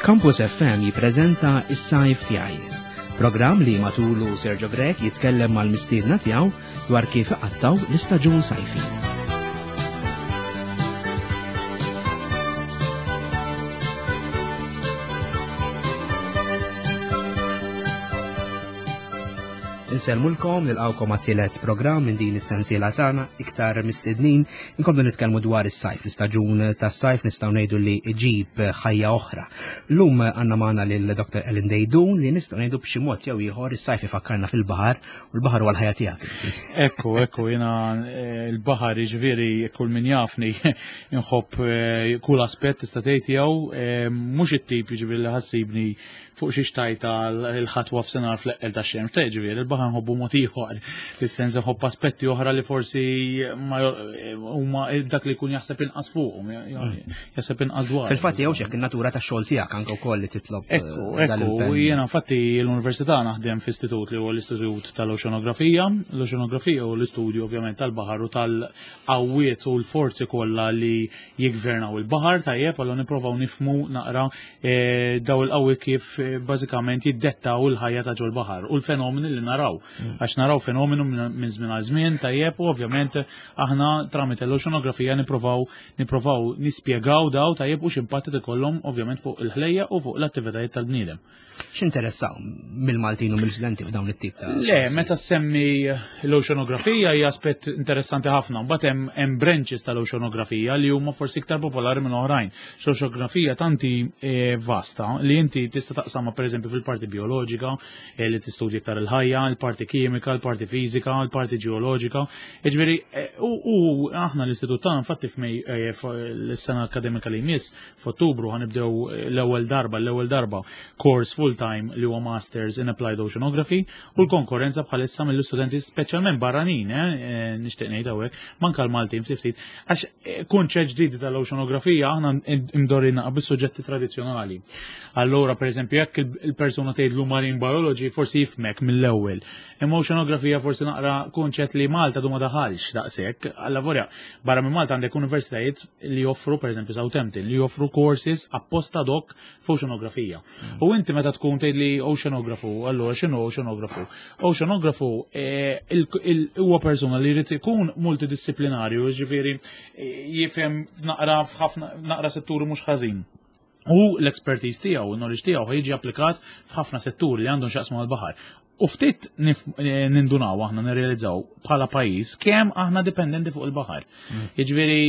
Campus FM jippreżenta Is-Sajf Tiegħi. Programm li matulu Sergio Grech jitkellem mal-mistiedna tiegħu dwar kif iqattaw l-istaġun sajfi. Insellmulkom nilqawkom għat-tielet programm minn din is-sensiela tagħna iktar mistednin inkomplu nitkellmu dwar is-sajf, l-istaġun tas-sajf nistgħu ngħidu li iġib ħajja oħra. Llum għandna magħna lil Dr. Ellen Dejdun li nistgħu ngħidu b'xi mod jew ieħor is-sajf ifakkarna fil-baħar u l-baħar huwa l-ħajja tiegħek. Ekku, ekku, jiena eh, l-baħar jiġifieri kull min jafni inħobb eh, kull aspett tista' tgħid tiegħu eh, mhux it-tip jiġifieri li ħassibni fuq xi xtajta l-ħatwa f'senar fl-eqqel ta' xemx, ta' ġifieri il-baħar nħobbu mod ieħor, fis-sens nħobb aspetti oħra li forsi huma dak li jkun jaħseb inqas fuqhom, jaħseb inqas dwar. Fil-fatt jew xek in-natura tax-xogħol tiegħek anke wkoll li titlob. Eh, ekku, ekku, jiena infatti l-università naħdem f'istitut li huwa l-Istitut tal-Oċeanografija, l-Oċeanografija u l-istudju ovvjament tal-baħar u tal-qawwiet u l-forzi kollha li jiggvernaw il-baħar tajjeb, allura nipprovaw nifmu naqra eh, daw il-qawwi kif eh, bażikament jiddettaw il-ħajja ta' ġol-baħar u l-fenomeni li naraw. Mm. Għax naraw fenomenu minn żmien għal żmien tajjeb u ovvjament aħna tramite l-oċeanografija nipprovaw nipprovaw nispjegaw daw tajjeb u x'impatt ikollhom ovvjament fuq il-ħlejja u fuq l-attivitajiet tal-bniedem. X'interessaw mill-Maltin u mill-studenti f'dawn it-tip ta' Le, meta semmi l-oċeanografija hija aspett interessanti ħafna. Mbagħad hemm hemm branches tal-oċeanografija li huma forsi iktar popolari minn oħrajn. L-oċeanografija tanti eh, vasta li inti tista' taqsamha pereżempju fil-parti bioloġika eh, li tistudja iktar il-ħajja, il-parti kimika, il-parti fiżika, il-parti ġeoloġika. Jiġifieri eh, u aħna l-istitut tagħna infatti f'Mej l-sena akademika li jmiss F'Ottubru ħanibdew eh, l-ewwel darba, l-ewwel darba course full-time li huwa Masters in Applied Oceanography u l-konkurrenza bħalissa mill-istudenti speċjalment barranin, eh, eh, nixtieq ngħid hawnhekk, manka l-Maltin ftit ftit, għax kunċett ġdid tal-oceanografija aħna imdorina bis-suġġetti tradizzjonali. Allura, pereżempju, jekk il-persuna tgħidlu marine biology forsi jifmek mill-ewwel. Imma oceanografija forsi naqra kunċett li Malta du ma daħalx daqshekk, alla vorja, barra minn Malta għandek universitajiet li joffru, per eżempju, Southampton, li joffru courses apposta dok f'oceanografija. Mm. U inti meta tkun tgħid li oceanografu, allura x'inhu oceanografu? Oceanografu eh, huwa persuna li jrid ikun multidisciplinarju, jiġifieri eh, jifhem naqra f'ħafna naqra setturi mhux ħażin. U l-expertise tiegħu, il-knowledge tiegħu jiġi applikat f'ħafna setturi li għandhom x'jaqsmu mal-baħar. U ftit eh, nindunaw aħna nirrealizzaw bħala pajjiż kemm aħna dipendenti fuq il-baħar. Mm. Jiġifieri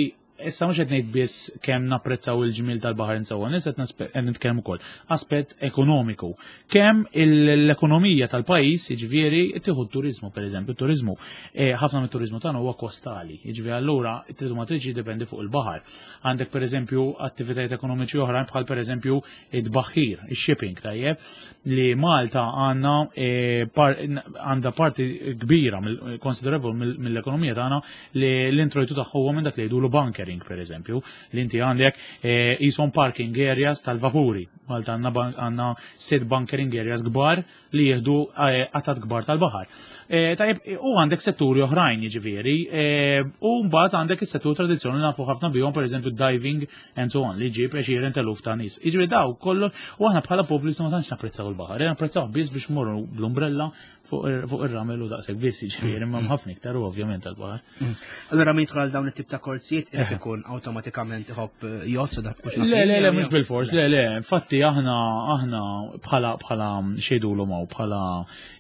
issa mhux qed ngħid biss kemm napprezzaw il-ġmiel tal-baħar insewwa, nies qed nitkellem ukoll aspett ekonomiku. Kemm l-ekonomija tal-pajjiż, jiġifieri tieħu t-turiżmu pereżempju, t-turiżmu eh, ħafna mit-turiżmu tagħna huwa kostali, jiġifieri allura tridu ma tridx jiddependi fuq il-baħar. Għandek pereżempju attivitajiet ekonomiċi oħrajn bħal pereżempju id-baħħir, ix-shipping tajjeb, li Malta għandna eh, għandha parti kbira konsiderevol mill-ekonomija tagħna li l-introjtu tagħha huwa minn dak li jgħidulu bunkering pereżempju, li inti għandek eh, qishom parking areas tal-vapuri. Malta għandna sit bunkering areas kbar li jieħdu eh, qatat kbar tal-baħar. Eh, tajjeb, u għandek setturi oħrajn jiġifieri, eh, u mbagħad għandek is-settur tradizzjonali nafu ħafna bihom pereżempju diving and so on li ġib għexieren teluf ta' nies. Jiġifieri daw kollu u aħna bħala poplu ma tantx napprezzaw il-baħar, napprezzaw biss biex morru bl-umbrella fuq ir-ramel u daqshekk biss jiġifieri imma ħafna iktar u ovvjament tal-baħar. Mm. Allora min jidħol dawn it-tip ta' korsijiet irid eh. ikun awtomatikament iħobb eh, jgħod dak mhux Le, le, le, mhux bil-fors, le, le, infatti aħna aħna bħala bħala xejdulu maw bħala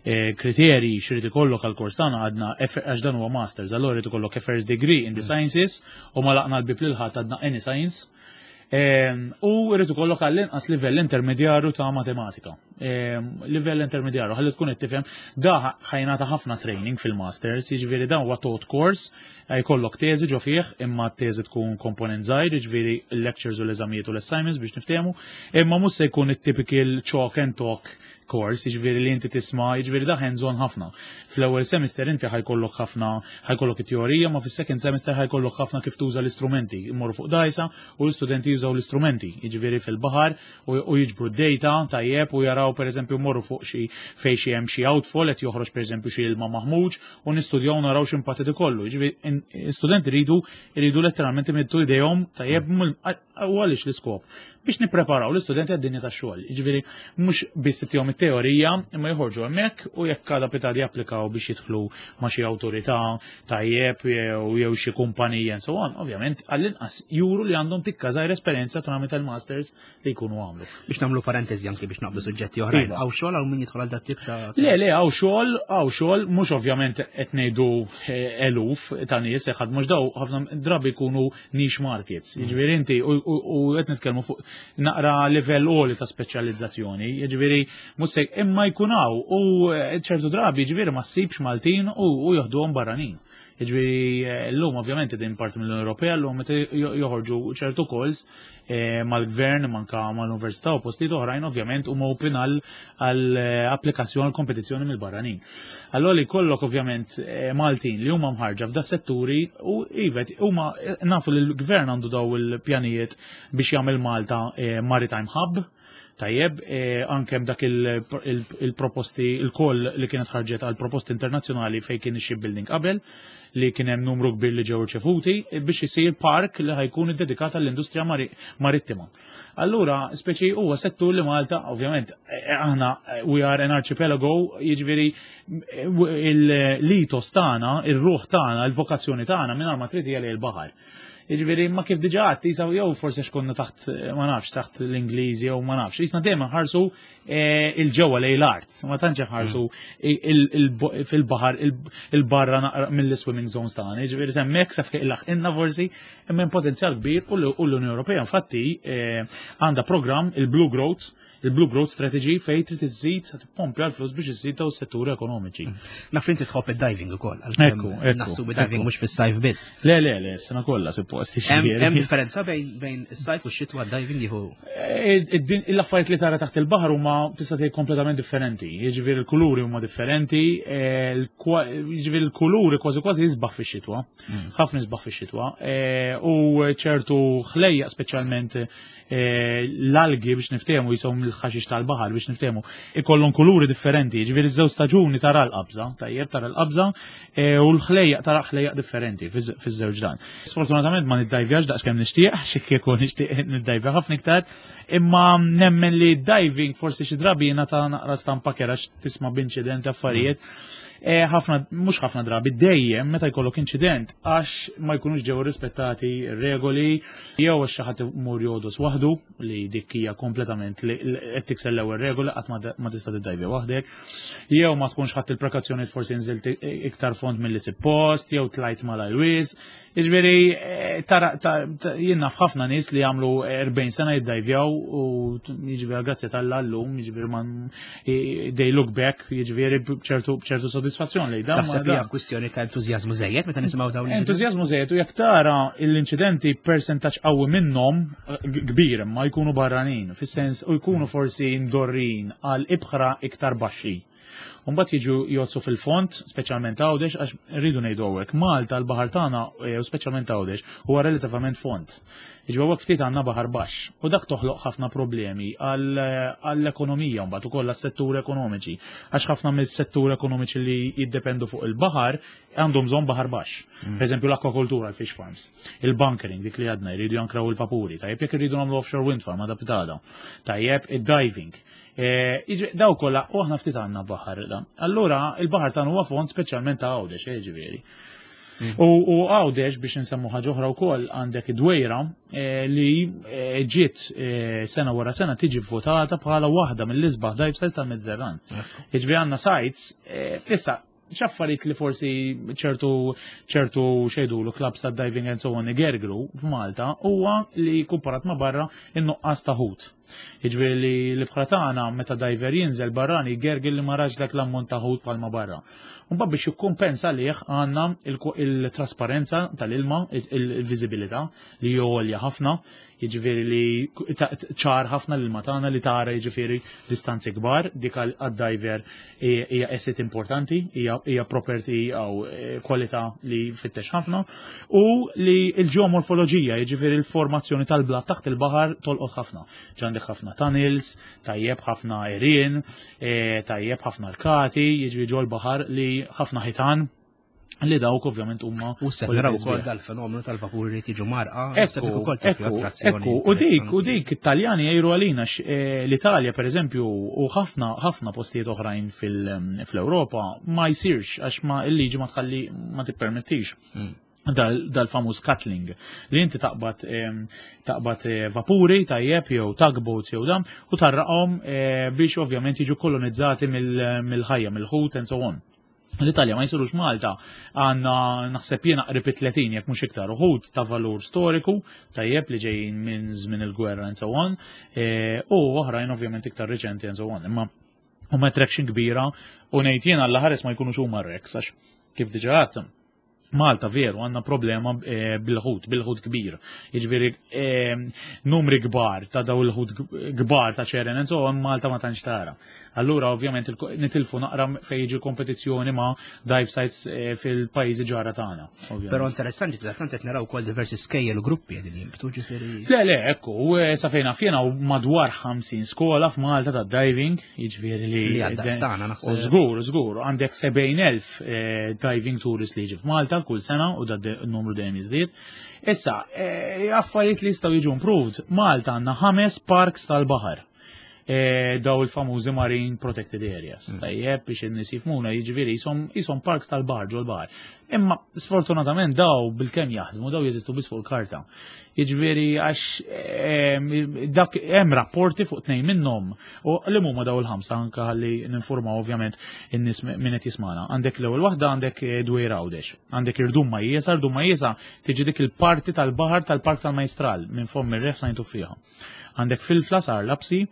eh, kriterji xrid ikollok għal kors tagħna għadna għax dan huwa masters, allora jrid ikollok a first degree in the mm. sciences u ma laqna l-bib lil ħadd għadna any science. Ehm, u rrid ikollok għall-inqas livell intermedjarju ta' matematika. Ehm, livell intermedjarju, ħalli tkun qed tifhem, da ħajnata ħafna training fil-masters, jiġifieri dan huwa taught course, jkollok teżi ġo fih, imma t-teżi tkun komponent żgħir, jiġifieri l-lectures u l-eżamijiet u l-assignments biex niftehmu, imma mhux se jkun it-typical chalk and talk course, jiġifieri li inti tisma', jiġifieri da hands on ħafna. Fl-ewwel semester inti ħajkollok ħafna, ħajkollok it-teorija, ma fis-second semester ħajkollok ħafna kif tuża l-istrumenti. Immorru fuq dajsa u l-istudenti jużaw l-istrumenti, jiġifieri fil-baħar u jiġbru d-data tajjeb u jaraw pereżempju mmorru fuq xi fejn xi hemm xi outfall qed joħroġ pereżempju xi ilma maħmuġ u nistudjaw naraw x'impatt ikollu. Jiġifieri studenti jridu jridu letteralment imiddu idejhom tajjeb u għaliex l-iskop? Biex nippreparaw l-istudenti għad-dinja tax-xogħol. Jiġifieri mhux biss ittihom it-teorija imma joħorġu hemmhekk u jekk għada pitgħada japplikaw biex jidħlu ma' xi awtorità tajjeb jew xi kumpanija and so on, ovvjament għall-inqas juru li għandhom tikka żgħir esperjenza tramite l-masters li jkunu għamlu. Biex nagħmlu parentesi anki biex naqblu suġġetti oħrajn. Iva. Hawn xogħol hawn min jidħol għal dat tip ta' Le, le, hawn xogħol, hawn xogħol, mhux ovvjament qed ngħidu eh, eluf ta' nies ħadd mhux daw ħafna drabi jkunu niche markets. Jiġifieri inti u qed nitkellmu fuq naqra livell għoli ta' speċjalizzazzjoni, jiġifieri mhux se imma jkun hawn u eh, ċertu drabi jiġifieri ma ssibx Maltin u joħduhom barranin. Jiġifieri eh, llum ovvjament din parti mill-Unjoni Ewropea llum meta joħorġu ċertu calls eh, mal-gvern manka mal-università u postijiet oħrajn ovvjament huma open għal applikazzjoni għal kompetizzjoni mill-barranin. Allora li jkollok ovvjament eh, Maltin li huma mħarġa f'da setturi u ivet huma eh, nafu li l-gvern għandu daw il-pjanijiet biex jagħmel Malta eh, Maritime Hub. Tajjeb, anke dak il-proposti, il-koll li kienet ħarġet għal proposti internazzjonali fejn kien ix-shipbuilding qabel, li kien hemm numru kbir li ġew riċevuti biex isir park li ħajkun iddedikat għall-industrija marittima. Allura, speċi huwa settur li Malta, ovvjament, eh, eh, aħna eh, we are an archipelago, jiġifieri l-itos tagħna, ir-ruħ tagħna, il-vokazzjoni tagħna mingħajr ma trid hija l-baħar. Jiġifieri ma kif diġà għadt jisaw jew forsi xkonna taħt ma nafx taħt l-Ingliżi jew ma nafx, jisna dejjem ħarsu Eh, il-ġewwa lejn l-art, ma tantx ħarsu mm. fil-baħar il-barra naqra mill-swimming zones tagħna. Jiġifieri semmek sa fejn laħqinna forsi imma hemm potenzjal kbir u l-Unjoni Ewropea infatti eh, għandha programm il-Blue Growth il-Blue Growth Strategy fej trid iżżid tippompja l-flus biex iżżid daw is-setturi ekonomiċi. Mm. Naf li inti tħobb id-diving ukoll. Ekku, Nassu diving mhux fis-sajf biss. Le, le, le, sena kollha suppost. Hemm differenza bejn is-sajf u x-xitwa diving jieħu. Eh, l-affarijiet li tara taħt il-baħar huma tista' tgħid kompletament differenti. Jiġifieri l-kuluri huma differenti, eh, jiġifieri l-kuluri kważi kważi jisbaħ fix-xitwa. Mm. Ħafna jisbaħ fix-xitwa. Eh, u ċertu ħlejja speċjalment l-algi biex niftehmu jisom il-ħaxix tal-baħar biex niftehmu ikollhom kuluri differenti, jiġifieri żewġ staġuni tara l-qabża, tajjeb tara l-qabża u l-ħlejjaq tara ħlejjaq differenti fiż-żewġ dan. Sfortunatament ma niddajvjax daqs kemm nixtieq, xi kieku nixtieq niddajvja ħafna iktar, imma nemmen li diving forsi xi drabi jiena ta' naqra stampa kera tisma' b'inċident affarijiet. E, ħafna, mhux ħafna drabi, dejjem meta jkollok inċident għax ma jkunux ġew rispettati regoli jew għax xi ħadd imur jodos waħdu li dik hija kompletament li qed tikser l-ewwel regola qatt ma tista' tiddajvja waħdek. Jew ma tkunx ħadd il-prekazzjoni forsi nżilt iktar fond milli suppost, jew tlajt mal-ajwiż. Jiġifieri eh, tara jien naf ħafna nies li jagħmlu 40 sena jiddajvjaw u jiġifieri grazzi tal llum, jiġifieri man they look back, jiġifieri b'ċertu b'ċertu sodisfazzjon li dan. Taħseb hija kwistjoni ta' entużjażmu żejjed meta nisimgħu dawn. Entużjażmu żejjed u jekk tara l-inċidenti persentaġġ qawwi minnhom kbir imma jkunu barranin, fis-sens u jkunu forsi ndorrin għal ibħra iktar baxxi. Mbagħad jiġu jgħodsu fil-fond, speċjalment Għawdex, għax rridu ngħidu hawnhekk, Malta l-baħar tagħna eh, u speċjalment Għawdex huwa relattivament fond. Jiġu hawnhekk ftit għandna baħar baxx u dak toħloq ħafna problemi għall-ekonomija mbagħad ukoll għas-settur ekonomiċi. Għax ħafna mis-settur ekonomiċi li jiddependu fuq il-baħar għandhom bżonn baħar baxx. Mm. Per eżempju l-akwakultura, l-fish farms, il-bunkering, dik li għadna, jridu jankraw il-vapuri, tajjeb jekk irridu nagħmlu offshore wind farm għadha pitada, tajjeb id-diving. E, daw kollha u aħna ftit għandna baħar. Allura il-baħar tagħna huwa fond speċjalment ta' Għawdex, eh, ġifieri. Mm. U Għawdex biex nsemmu ħaġa oħra wkoll għandek id-dwejra eh, li eh, ġiet sena wara sena tiġi votata bħala waħda mill-isbaħ dive sites tal-Mediterran. Jiġifieri għandna sites issa. X'affarijiet li forsi ċertu ċertu xejdulu clubs ta' diving and so on igergru f'Malta huwa li kumparat ma' barra in-nuqqas ta' ħut. Jiġifieri li l-ibħra tagħna meta diver jinżel barrani jgergel li ma rax dak l-ammont ta' ħut bħalma barra. Mbagħad biex jikkumpensa lih għandna il-trasparenza tal-ilma, il-viżibilità li għolja ħafna, jiġifieri li ċar ħafna l-ilma tagħna li tara jiġifieri distanzi kbar, dik għad-diver hija asset importanti, hija property jew eh, kwalità li fittex ħafna, u li l-ġeomorfoloġija, jiġifieri l-formazzjoni tal-blat taħt il-baħar tolqot ħafna. Ġandek ħafna tunnels, tajjeb ħafna għerien, eh, tajjeb ħafna arkati, jiġifieri ġol baħar li ħafna ħitan li dawk ovvjament huma. U se naraw ukoll dal-fenomenu tal-vapuri li tiġu marqa, ekku, ekku, u dik, u dik it-Taljani jgħiru għalina eh, l-Italja pereżempju u ħafna ħafna postijiet oħrajn fil-Ewropa ma jsirx għax ma il-liġi ma tħalli ma tippermettix. Dal-famuż cutling li inti taqbad taqbad eh, vapuri tajjeb jew tugboats jew dam u tarraqhom eh, biex ovvjament jiġu kolonizzati mill-ħajja, mill-ħut and so on. L-Italja ma jisirux Malta għanna naħseb jiena qrib 30 jekk mhux iktar uħud ta' valur storiku tajjeb li ġejjin minn żmien il-gwerra and so on eh, u oħrajn ovvjament iktar riċenti and so on. Imma huma attraction kbira u ngħid jiena l-ħares ma jkunux huma rex għax kif diġà għadt Malta veru għandna problema eh, bil-ħut, bil-ħut kbir. Jiġifieri eh, numri kbar ta' daw il-ħut kbar ta' ċeren and so on Malta ma tantx tara. Allura ovvjament nitilfu naqra fejn jiġi kompetizzjoni ma' dive sites eh, fil-pajjiżi ġara tagħna. Però interessanti sa tant qed naraw ukoll diversi skejjel u gruppi qegħdin jinbtu ġifieri. Le le, ekku, sa fejn naf jiena madwar 50 skola f'Malta ta' diving Jiġifieri li. Li għadda stana naħseb. U żgur, żgur, għandek 70,000 eh, diving tourist li jiġi f'Malta kull sena u da numru dejjem jiżdied. Issa, eh, affarijiet li jistgħu jiġu improved, Malta għandna ħames parks tal-baħar. Eh, daw il-famużi marine protected areas. Tajjeb biex in-nies jifhmuna jiġifieri jisom parks tal-baħar ġol baħar. Imma sfortunatament daw bil-kemm jaħdmu, daw jeżistu biss fuq il-karta. Jiġifieri għax ehm, dak hemm rapporti fuq tnejn minnhom u li huma daw il-ħamsa anke ħalli ninformaw ovvjament in-nies min qed jismana. Għandek l-ewwel waħda għandek eh, Dwejra Għawdex, għandek Irdum Majjesa, Irdum Majjesa tiġi dik il-parti tal-baħar tal-Park tal-Majstral minn fomm ir-reħ sajntu fiha. Għandek Filfla sar Lapsi,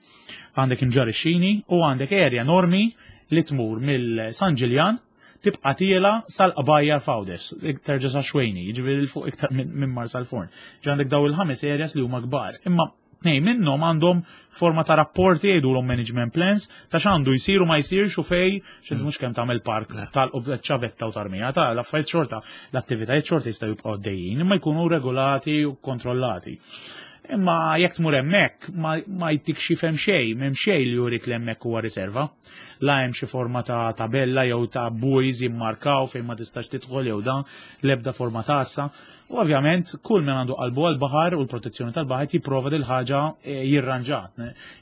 għandek Imġarr ix-Xini u għandek area enormi li tmur mill-San Ġiljan tibqa' tiela sal-qbajjar f'Għawdex, terġa' sa Xwejni, jiġifieri 'l fuq iktar minn Marsalforn. Ġi għandek daw il-ħames areas li huma kbar. Imma tnejn minnhom għandhom forma ta' rapporti jgħidulhom management plans ta' x'għandu jsir u ma jsirx u fej x'inti mhux kemm tagħmel park tal-ċavetta u tarmija ta' l-affarijiet xorta l-attivitajiet xorta jistgħu jibqgħu għaddejjin imma jkunu regolati u kontrollati. Imma jekk tmur hemmhekk ma jtik xi fem xejn, m'hemm xejn li jurik li hemmhekk huwa riserva. La hemm xi forma ta' tabella jew ta' buoys jimmarkaw fejn ma tistax tidħol jew dan, l-ebda forma ta' assa. U ovvjament kull min għandu qalbu għall-baħar u l-protezzjoni tal-baħar jipprova dil ħaġa eh, jirranġa.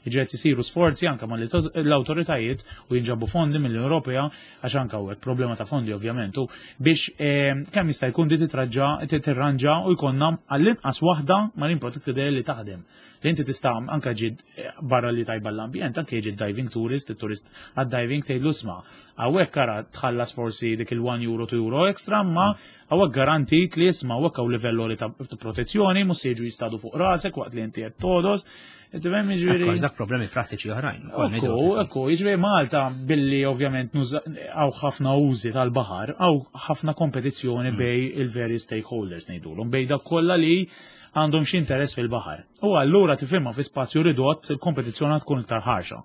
Jiġri qed isiru sforzi anke mal-awtoritajiet u jinġabu fondi mill-Unjoni Ewropea għax anke hawnhekk problema ta' fondi ovvjament u biex eh, kemm jista' jkun di titraġġa tirranġa u jkollna għall-inqas waħda marine protected area li taħdem. Li inti tista' anke ġi barra li tajba l-ambjent, anke jiġi diving tourist, il-turist għad-diving tgħidlu sma. Hawnhekk ara tħallas forsi dik il-1 euro 2 euro extra, ma hawnhekk garantit li isma' hawnhekk hawn livell għoli ta' protezzjoni, mhux se jiġu jistadu fuq rasek waqt li inti qed todos. Tifhem jiġifieri. Dak problemi prattiċi oħrajn. Ekku, ekku, jiġifieri Malta billi ovvjament hawn ħafna użi tal-baħar, hawn ħafna kompetizzjoni bej il-various stakeholders ngħidulhom, bej dak kollha li għandhom xi interess fil-baħar. U allura tifhimha fi spazju ridott il-kompetizzjoni tkun iktar ħarxa.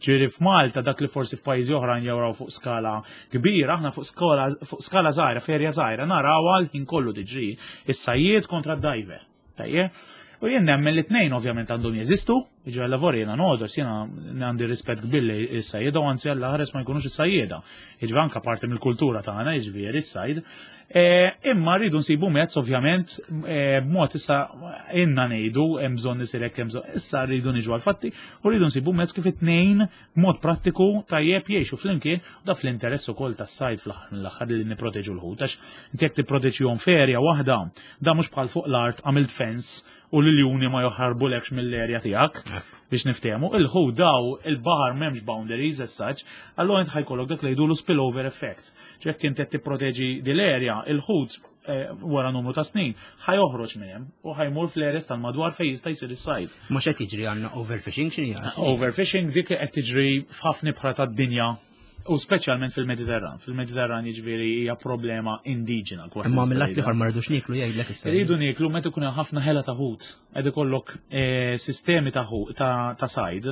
Ġifieri f'Malta dak li forsi f'pajjiżi oħrajn jaraw fuq skala kbira, aħna fuq skala fuq skala żgħira, f'erja żgħira naraw għal ħin kollu tiġri is-sajjied kontra d-diver. Tajjeb? U jien nemmen li tnejn ovvjament għandhom jeżistu, jiġi għalla vorja jiena nodos, jiena għandi rispett kbir li s-sajjieda u anzi għalla ħares ma jkunux is-sajjieda. Jiġi anka parti mill-kultura tagħna, jiġifieri s-sajd. E, imma rridu nsibu mezz ovvjament e, b'mod issa inna ngħidu hemm bżonn isir hekk hemm bżonn issa rridu niġu għal-fatti u rridu nsibu mezz kif it-tnejn b'mod prattiku tajjeb jgħixu flimkien u da fl-interess ukoll tas-sajd fl-aħħar mill-aħħar li nipproteġu l-ħut għax inti jekk tipproteġihom f'erja waħda da mhux bħal fuq l-art għamilt fence u l-iljuni ma joħarbulekx mill-erja tiegħek. Biex niftehmu, il-ħut daw il-baħar m'hemmx boundaries as such, allura int ħajkollok dak li jgħidulu spillover effect. Jekk inti qed tipproteġi dil-area, il-ħut eh, wara numru ta' snin ħajoħroġ minn hemm u ħajmur fl-areas tal-madwar fejn jista' jsir is-sajd. Mhux qed jiġri għandna overfishing x'inhi? Overfishing dik qed tiġri f'ħafna ibħra tad-dinja u speċjalment fil-Mediterran. Fil-Mediterran jiġifieri hija problema indiġena. Imma mill-att ieħor ma rridux nieklu jgħidlek issa. Rridu nieklu meta ikun hemm ħafna ħela ta' ħut. Qed ikollok eh, sistemi ta' ta' sajd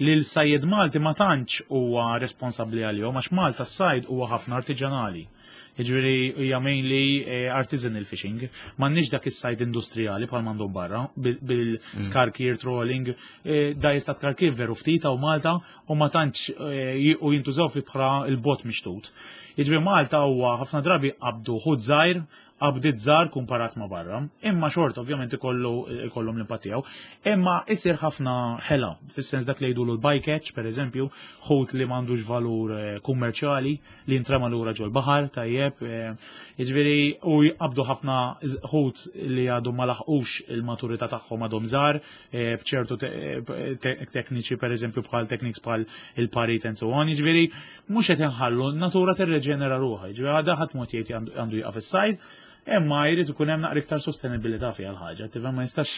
li l-sajjed Malti ma tantx huwa responsabbli għalihom għax Malta s-sajd huwa ħafna artiġanali. Jiġifieri hija mainly eh, artisanal fishing. M'għandniex dak is-sajd industrijali bħal m'għandhom barra bil-tkarkir trolling. Eh, da jista' tkarkir veru ftit hawn Malta u ma tantx eh, u jintużaw fi bħra il-bot mixtut. Jiġifieri Malta huwa ħafna drabi qabdu ħut żgħir qabdiet żgħar kumparat ma' barra, imma xorta ovvjament ikollu ikollhom l-impatt tiegħu. Imma isir ħafna ħela, fis-sens dak li jgħidulu l-bycatch, pereżempju, ħut li m'għandux valur eh, kummerċjali li jintrema lura ġol-baħar, tajjeb, eh, jiġifieri u jqabdu ħafna ħut li għadhom ma laħqux il-maturità tagħhom għadhom żgħar, eh, b'ċertu tekniċi pereżempju bħal techniques bħal il-parit and so on, jiġifieri mhux qed inħallu n-natura tirreġenera ruħha, jiġifieri għadha ħadd mod jgħid għandu jieqaf is-sajd, imma jrid ikun hemm naqra iktar sostenibilità fiha l-ħaġa, tifhem ma nistax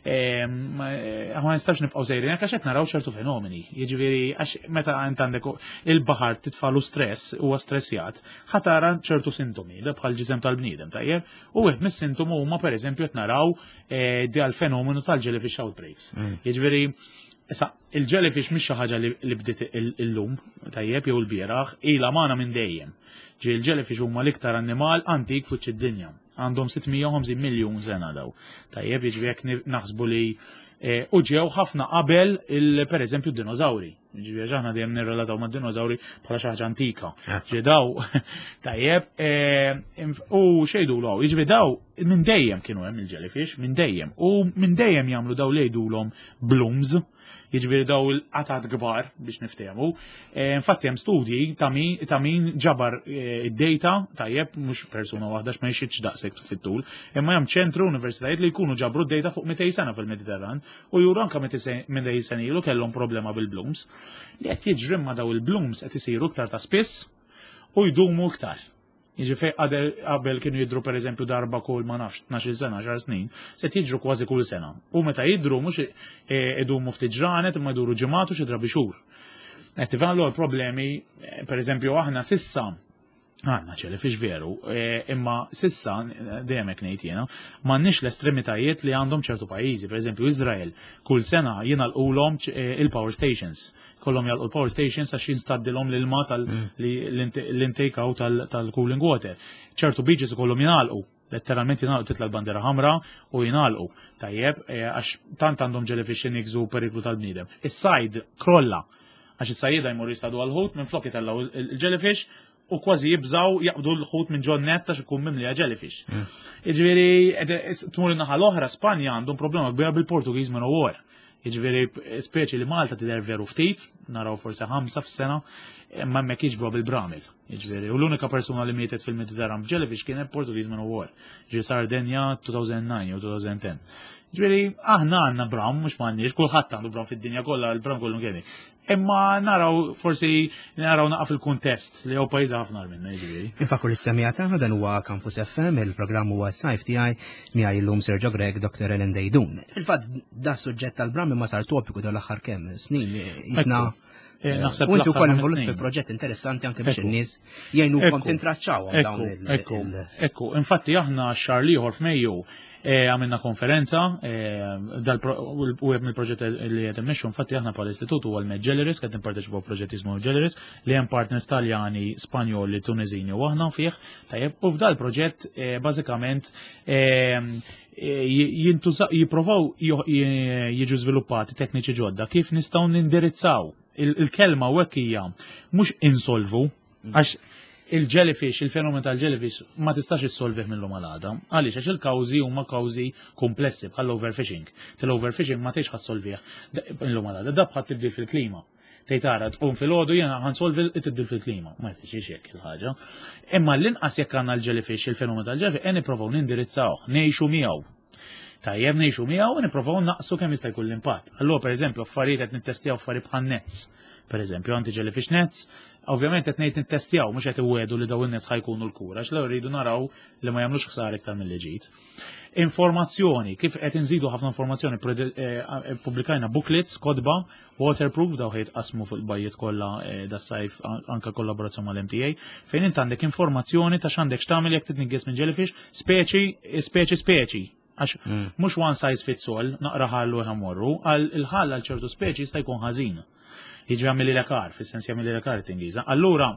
eh, ma nistax nibqgħu sejrin għax qed naraw ċertu fenomeni. Jiġifieri għax meta int għandek il-baħar titfalu stress huwa stressjat, ħa tara ċertu sintomi, da bħal ġisem tal-bniedem, tajjeb? U wieħed mis-sintomu huma pereżempju qed naraw eh, dal fenomenu tal-jellyfish outbreaks. Mm. Jiġifieri Issa, Il-jellyfish mhix xi ħaġa li bdiet illum, tajjeb, jew il-bieraħ, ilha magħna minn dejjem. Ġi il-jellyfish huma l-iktar annimal antik fuq id-dinja. Għandhom 650 miljun sena daw. Tajjeb, jiġri jekk naħsbu li eh, u ġew ħafna qabel il pereżempju d-dinożawri. Ġifieri aħna dejjem nirrelataw mad-dinożawri bħala xi ħaġa antika. Eh. Ġi daw, tajjeb, eh, u xejdu l jiġifieri daw minn dejjem kienu hemm il-jellyfish, minn dejjem. U minn dejjem jagħmlu daw li jgħidulhom blooms, jiġifieri daw il-qatat kbar biex niftehmu. E, infatti hemm studji ta' min ġabar e, id-data tajjeb mhux persuna waħda x'ma jxitx daqshekk fit-tul, imma hemm ċentru universitajiet li jkunu ġabru d-data fuq 200 sena fil-Mediterran u juru anke 200 sena ilu kellhom problema bil-blooms. Li qed jiġri ma daw il-blooms qed isiru iktar ta' spiss u jdumu iktar. Jiġifieri fejn qabel kienu jidhru pereżempju darba kull ma nafx 12 sena, 10 snin, se jiġru kważi kull sena. U meta jidhru mhux e, idumu ftit ġranet imma jduru ġimgħat u xi drabi xhur. Qed tifhem allura problemi, e, pereżempju aħna sissa għandna ċelifix veru, e, imma sissa dejjem hekk ngħid jiena, m'għandniex l-estremitajiet li għandhom ċertu pajjiżi, pereżempju Iżrael, kull sena jingħalqulhom il-power stations. Kollhom jalqu l-power stations għax jinstaddilhom l-ilma tal-intake mm. out tal-cooling water. ċertu beaches ikollhom jingħalqu letteralment jingħalqu titla l-bandera ħamra u jingħalqu. Tajjeb, eh, għax tant għandhom jellyfish jnikżu periklu tal-bniedem. Is-sajd krolla għax is-sajjieda jmur jistadu għal-ħut minn flok jitellgħu il-jellyfish u kważi jibżaw jaqbdu l-ħut minn ġon net għax ikun mimlija jellyfish. Mm. Jiġifieri tmur in-naħa l-oħra Spanja għandhom problema kbira bil-Portugiż minn war. Jiġifieri speċi li Malta tidher veru ftit, naraw forsi ħamsa f'sena, imma hemmhekk jiġbru bil-bramil. Jiġifieri u l-unika persuna li mietet fil-Mediterran b'jellyfish kienet Portugiż minn war. Ġi Sardenja 2009 jew 2010. Ġifieri aħna għandna bram, mhux m'għandniex, kulħadd għandu bram fid-dinja kollha, il-bram kollu kien. Imma naraw forsi naraw naqaf il-kuntest li huwa pajjiż ħafna minna jiġifieri. Infakru li semija tagħna dan huwa Campus FM, il-programm huwa sajf tiegħi miegħi llum Sergio Grech, Dr. Ellen Dejdun. Fil-fatt da suġġett tal-bram imma sar topiku dan l-aħħar kemm snin jisna. Eh, naħseb U inti wkoll involut fi proġett interessanti anke biex in-nies jgħinukom tintraċċawhom dawn il- Ekku, ekku, infatti aħna x-xahar l-ieħor f'Mejju Eh, għamilna konferenza, eh, u għed mill-proġett li qed immexxu, infatti aħna bħala istitut huwa l-Med qed nipparteċipaw proġett jismu Jelleris, li hemm partners Taljani, Spanjoli, Tunezini u aħna fih, tajjeb, u f'dal proġett eh, bażikament jipprovaw jiġu żviluppati tekniċi ġodda kif nistgħu nindirizzaw il-kelma u hekk hija mhux insolvu, Għax il-jellyfish, il-fenomen tal-jellyfish ma tistax issolvih mill-lum għal għada. Għaliex għax il-kawżi huma kawżi komplessi bħal overfishing. Tal-overfishing ma tgħix ħassolvih mill-lum għal għada. Da bħal tibdil fil-klima. Tgħid tara tqum fil-għodu jiena ħansolvi t-tibdil fil-klima. Ma jtixiex hekk il-ħaġa. Imma l-inqas jekk għandna l-jellyfish, il-fenomen tal-jellyfish, qed nipprovaw nindirizzawh, ngħixu miegħu. Tajjeb ngħixu miegħu u nipprovaw naqsu kemm jista' jkun l-impatt. Allura pereżempju affarijiet qed nittestjaw affarijiet bħal nets. Pereżempju anti-jellyfish nets, ovvjament qed ngħid nittestjaw mhux qed iwedu li dawn in-nets ħajkunu l-kura, għax l rridu naraw li ma jagħmlux ħsara iktar milli ġid. Informazzjoni, kif qed inżidu ħafna informazzjoni, eh, pubblikajna booklets, kotba, waterproof, daw ħejt qasmu fuq il-bajjiet kollha eh, das-sajf anka kollaborazzjoni mal-MTA, fejn int għandek informazzjoni ta' x'għandek x'tagħmel jekk titnigges minn jellyfish, speċi, speċi, speċi. Għax mm. mhux one size fits all, naqra ħallu ħamorru, għal il-ħall għal ċertu speċi jista' jkun ħażin. Jiġri għamili l-ekar, fis-sens jagħmili l-ekar tingiża. Allura,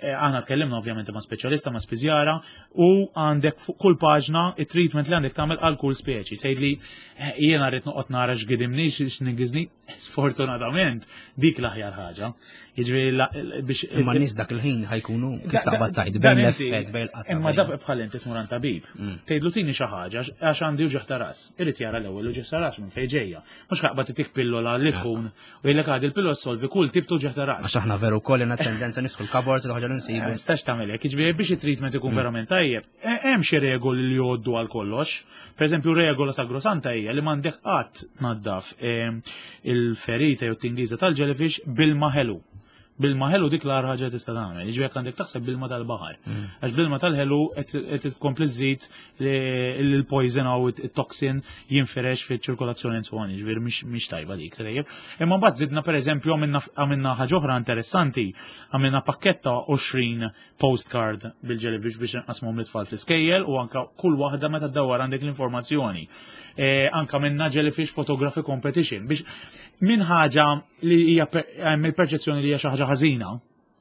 eh, aħna tkellimna ovvjament ma' speċjalista, ma' spiżjara, u għandek fuq kull paġna it-treatment li għandek tagħmel għal kull speċi. Tgħidli eh, jiena rrid noqgħod nara x'gidimni, x'nigiżni, sfortunatament dik l-aħjar ħaġa. Jiġifieri biex. Imma nies dak il-ħin ħajkunu kif taqbad tajt bejn l-effett bejn il-qatta. Imma dak bħal inti tmur għand tabib. Mm. Tgħidlu tini xi ħaġa għax għandi uġigħ ta' ras. Irid jara l-ewwel uġigħ ta' ras minn fejn ġejja. Mhux ħaqbad titik pillola li tkun u jgħidlek għadi l-pillola solvi kull tip ta' uġigħ ta' ras. Għax aħna veru wkoll għandna tendenza nisħu l-kabord l ħaġa li nsibu. Eh, stax tagħmel hekk, jiġifieri biex it-treatment ikun mm. verament tajjeb, eh, hemm xi regoli li jgħoddu għal kollox. Per eżempju, regola sagrosanta hija li m'għandek qatt tnaddaf eh, il-ferita jew tingiża tal-jellyfish bil-ma ħelu. Bil-ma ħelu dik l-agħar ħaġa tista' tagħmel. Jiġifieri jekk għandek taħseb bil-ma tal-baħar. Mm. Għax bil-ma tal-ħelu qed tkompli żżid l-poison u it-toxin jinfirex fiċ-ċirkolazzjoni and so on, jiġifieri mhix tajba dik tajjeb. Imma mbagħad żidna pereżempju għamilna ħaġa oħra interessanti, għamilna pakketta 20 postcard bil-jellyfish biex nqasmuhom lit-tfal fl-iskejjel u anka kull waħda meta ddawwar għandek l-informazzjoni. E, anka minna jellyfish photography competition biex minn ħaġa li hija hemm il-perċezzjoni li hija xi ħaġa ħażina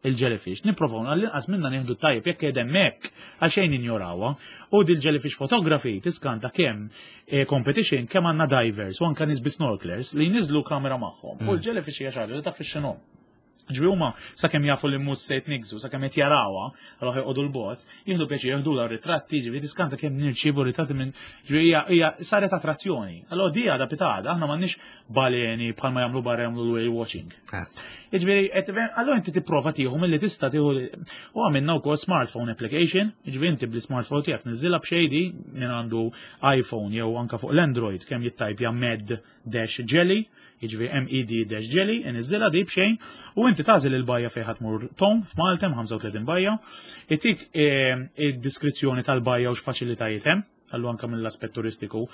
il-jellyfish, nipprovaw għall-inqas minna nieħdu tajjeb jekk qed hemmhekk għal xejn injorawha. U dil-jellyfish photography tiskanta kemm e, competition kemm għandna divers u anka nies bi snorkelers li jniżlu kamera magħhom. U mm. l-jellyfish hija xi ħaġa li taf x'inhom. Ġvi huma sakemm jafu li mhux se jitniggżu, sakemm qed jarawha, allura joqogħdu l-bot, jieħdu pjaċir jieħdu l ritratti, ġifieri tiskanta kemm nirċievu ritratti minn ġifieri hija hija saret attrazzjoni. Allura di għadha pitada, aħna m'għandniex baleni bħalma jagħmlu barra jagħmlu l-whale watching. Eh. Jiġifieri allura inti tipprova tieħu milli tista' tieħu u għamilna wkoll smartphone application, jiġifieri inti bl-smartphone tiegħek niżilha b'xejdi minn għandu iPhone jew anka fuq l-Android kemm jittajpja med dash jelly, jiġifieri MED dash jelly, iniżżilha di b'xejn, u inti tagħżel il-bajja fejn ħadd tmur tom f'Malta hemm 35 bajja, itik eh, id-diskrizzjoni tal-bajja u x'faċilitajiet hemm, għallu anka mill-aspett turistiku.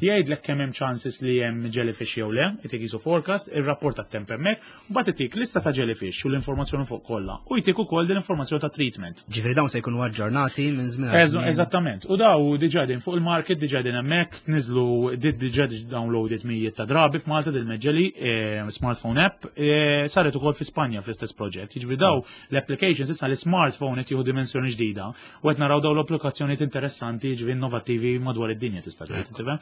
Jgħidlek kemm hemm chances li hemm jellyfish jew le, itik jisu forecast, ir-rapport tat-temp hemmhekk, u mbagħad itik lista ta' jellyfish u l-informazzjoni fuq kollha, u jtik ukoll din l-informazzjoni ta' treatment. Ġifieri dawn se jkunu aġġornati minn żmien. Eżattament. U daw diġà din fuq il-market diġà din hemmhekk, niżlu diġà downloaded mijiet ta' drabi f'Malta dil meġġeli eh, smartphone app, eh, saret ukoll fi Spanja fl-istess proġett. Jiġifieri daw l-applications issa l-smartphone qed jieħu dimensjoni ġdida u qed naraw daw l-applikazzjonijiet interessanti jiġifieri innovattivi madwar id-dinja tista' tgħid. tifhem?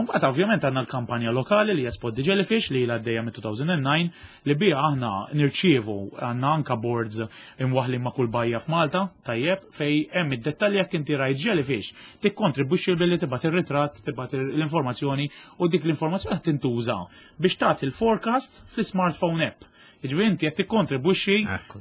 Imbagħad ovvjament għandna l-kampanja lokali li hija Spot the Jellyfish li ilha għaddejja mit-2009 li biha aħna nirċievu għandna anka boards imwaħħlin ma' kull bajja f'Malta, tajjeb, fej hemm id-dettalji jekk inti rajt jellyfish, tikkontribwixxi billi tibgħat ir-ritratt, tibgħat l-informazzjoni u dik l-informazzjoni qed tintuża biex tagħti l-forecast fl-smartphone app. Jiġifieri inti qed tikkontribwixxi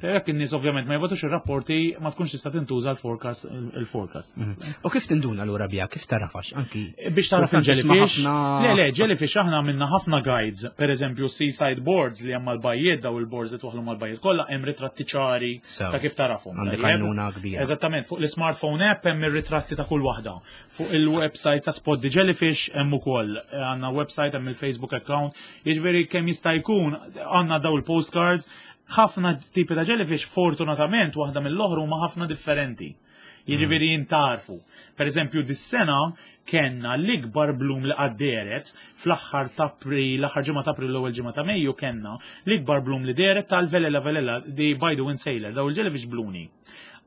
jekk in-nies ovvjament ma jibgħatux ir-rapporti ma tkunx tista' tintuża l-forecast il-forecast. Mhm. U kif tinduna lura biha, kif tarafax anki? Biex taraf il-jellyfish. Le, le, jellyfish aħna minna ħafna guides, per eżempju seaside boards li hemm mal-bajjiet, daw il-boards li twaħlu mal-bajjiet kollha hemm ritratti ċari ta' kif tarafhom. Għandek għajnuna kbira. Eżattament, fuq l-smartphone app hemm ir-ritratti ta' kull waħda. Fuq il-website ta' Spot the Jellyfish hemm ukoll. Għandna website hemm il-Facebook account. Jiġifieri kemm jista' jkun għandna daw il-postcards ħafna tipi ta' jellyfish fortunatament waħda mill-oħra huma ħafna differenti. Jiġifieri jintarfu. Per eżempju, dis-sena kellna l-ikbar blum li qatt dehret fl-aħħar ta' April, l-aħħar ġimgħa ta' April l-ewwel ġimgħa ta' Mejju kellna l-ikbar blum li dehret tal-Velella Velella di by the Wind Sailor, daw il-jellyfish bluni.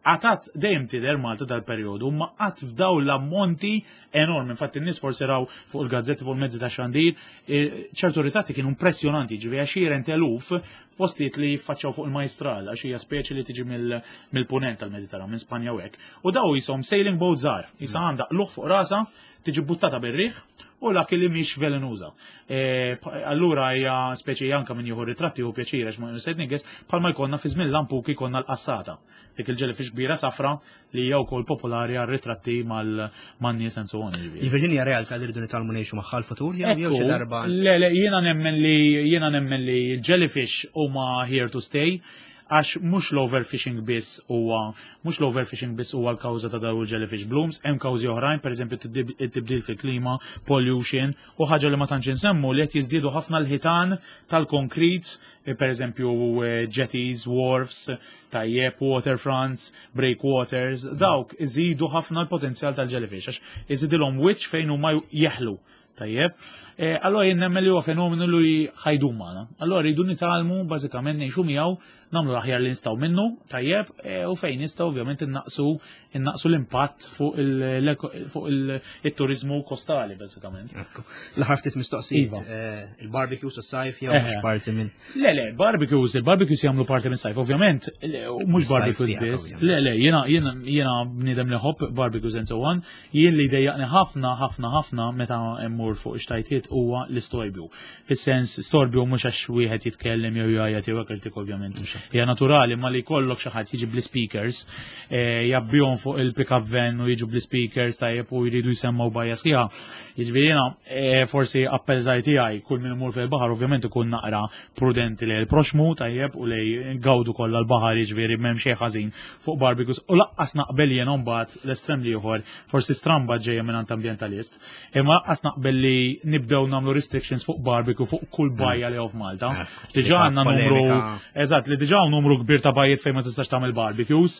Għatat dejjem tidher Malta dal-perjodu, ma qatt f'daw l-ammonti enormi. Infatti n-nies forsi raw fuq il-gazzetti fuq il-mezzi ta' xandir, e, ċertu ritratti kienu impressjonanti, ġifieri għaxieren teluf F'postijiet li jiffaċċjaw fuq il-majstral għax hija speċi li tiġi mill-punent tal-Mediterran, minn Spanja u hekk. U daw jisom sailing boat żgħar, jisa mm. għandha qluħ fuq rasa, tiġi buttata bir-riħ u lak li mhix velenuża. E, allura hija speċi anka min jieħu ritratti u pjaċir għax ma nised niges bħalma jkollna fi żmien lampuki jkollna l-qassata. Dik il-jellyfish kbira safra li hija wkoll popolari għal ritratti mal-nies and so on. Jiġifieri hija realtà li rridu nitgħallmu ngħixu magħha l-futur jew jew xi darba. Le, le, jiena nemmen li jiena nemmen li jellyfish huma here to stay għax mhux l-overfishing biss huwa mhux l-overfishing biss huwa l-kawża ta' dawn il-jellyfish blooms, hemm kawżi oħrajn, pereżempju t-tibdil fil-klima, pollution, u ħaġa li ma tantx insemmu li qed jiżdiedu ħafna l-ħitan tal-konkrit, eh, pereżempju eh, jetties, wharfs, tajjeb, waterfronts, breakwaters, dawk iżidu ħafna l-potenzjal tal-jellyfish, għax iżidilhom wiċċ fejn huma jeħlu. Tajjeb. Eh, allora jien nemmen li huwa fenomenu li ħajdum magħna. Allora rridu nitgħallmu bażikament ngħixu miegħu, nagħmlu l-aħjar li nistgħu minnu, tajjeb, eh, u fejn nistgħu ovvjament innaqsu innaqsu l-impatt fuq il-turizmu kostali bażikament. L-aħħar ftit mistoqsijiet, iva. eh, il-barbecues u sajf jew mhux parti minn. Le, le, barbecues, il-barbecues jagħmlu parti minn sajf, ovvjament, mhux barbecues biss. Le, le, jiena jiena jiena bniedem li ħobb barbecues and so on, jien li dejjaqni ħafna ħafna ħafna meta mmur fuq ix-xtajtiet huwa l-istorbju. Fis-sens storbju mhux għax wieħed jitkellem jew jgħajjat jew hekk dik ovvjament. Hija naturali ma li jkollok xi ħadd jiġi bl-speakers, eh, jabbihom fuq il-pick-up van u jiġu bl-speakers tajjeb u jridu jsemmaw bajja sħiħa. Jiġifieri jiena eh, forsi appell żgħir tiegħi kull min imur fil-baħar ovvjament ikun naqra prudenti lejn il-proxmu tajjeb u lej gawdu kollha l-baħar jiġifieri m'hemm xejn ħażin fuq barbecues u laqqas naqbel jiena mbagħad l-estrem l-ieħor forsi stramba ġejja minn ambjentalist Imma laqqas naqbel li nibdew nagħmlu restrictions fuq barbecue fuq kull mm. bajja li hawn f'Malta. Eh, diġà għandna numru eżatt li diġà numru kbir ta' bajjiet fejn ma tistax tagħmel barbecues.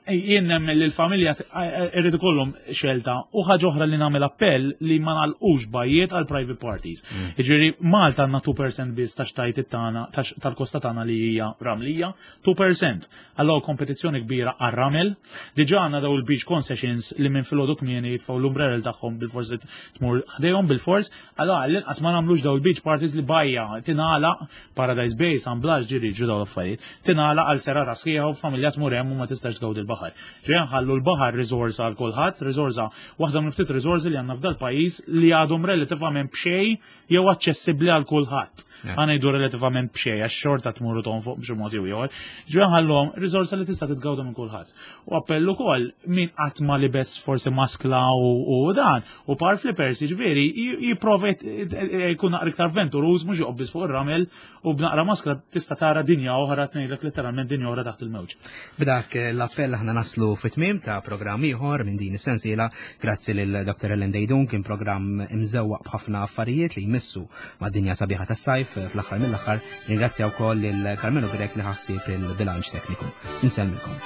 Jien nemmen li l-familja eh, irrid ikollhom xelta u ħaġa oħra li nagħmel appell li ma nagħlqux bajjiet għal private parties. Mm. Jiġifieri Malta għandna 2% biss ta' xtajt tagħna tal-kosta tagħna li hija ramlija, 2%. Allora kompetizzjoni kbira għar-ramel. Diġà għandna daw il-beach concessions li minn filgħodu kmieni jitfgħu l-umbrella tagħhom bil-fors tmur ħdejhom bil-fors. Allora għall-inqas ma nagħmlux daw il-beach parties li bajja tingħalaq Paradise Bay, San Blas ġiri ġu daw l-affarijiet. Tingħalaq għal serata sħiħa u familja tmur hemm u ma tistax tgawdi l-baħar. Ġejja nħallu l-baħar riżorsa għal kulħadd, riżorsa waħda minn ftit riżorsi li għandna f'dal pajjiż li għadhom relativament b'xejn jew aċċessibbli għal kulħadd. Ħa ngħidu relativament b'xejn għax xorta tmur u tonfoq b'xi mod jew ieħor. Ġifieri ħallhom riżorsa li tista' titgawda minn kulħadd. U appell ukoll min qatt ma libes forsi maskla u dan u par flippers jiġifieri jipprova jkun naqra iktar avventuruż mhux joqgħod fuq ir-ramel u b'naqra maskla tista' tara dinja oħra tgħidlek letteralment dinja oħra taħt il-mewġ. B'dak l-appell aħna naslu fit-tmiem ta' programm ieħor minn din is-sensiela grazzi lil Dr. Ellen Dejdun kien programm imżewwaq b'ħafna affarijiet li jmissu mad-dinja sabiħa tas-sajf fl-aħħar mill-aħħar ringrazzja wkoll lil Carmelo Grech li ħassib il-bilanċ tekniku. Insellmilkom.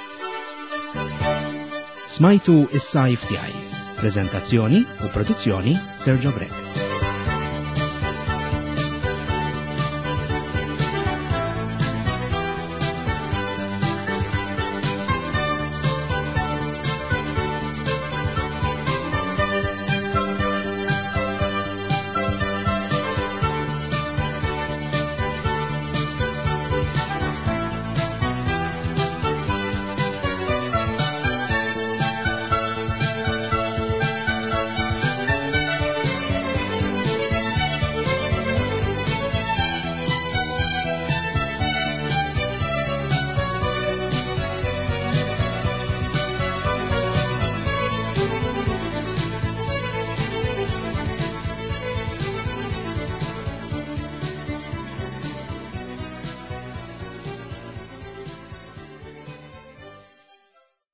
Smajtu is-sajf tiegħi. Preżentazzjoni u produzzjoni Sergio Grech.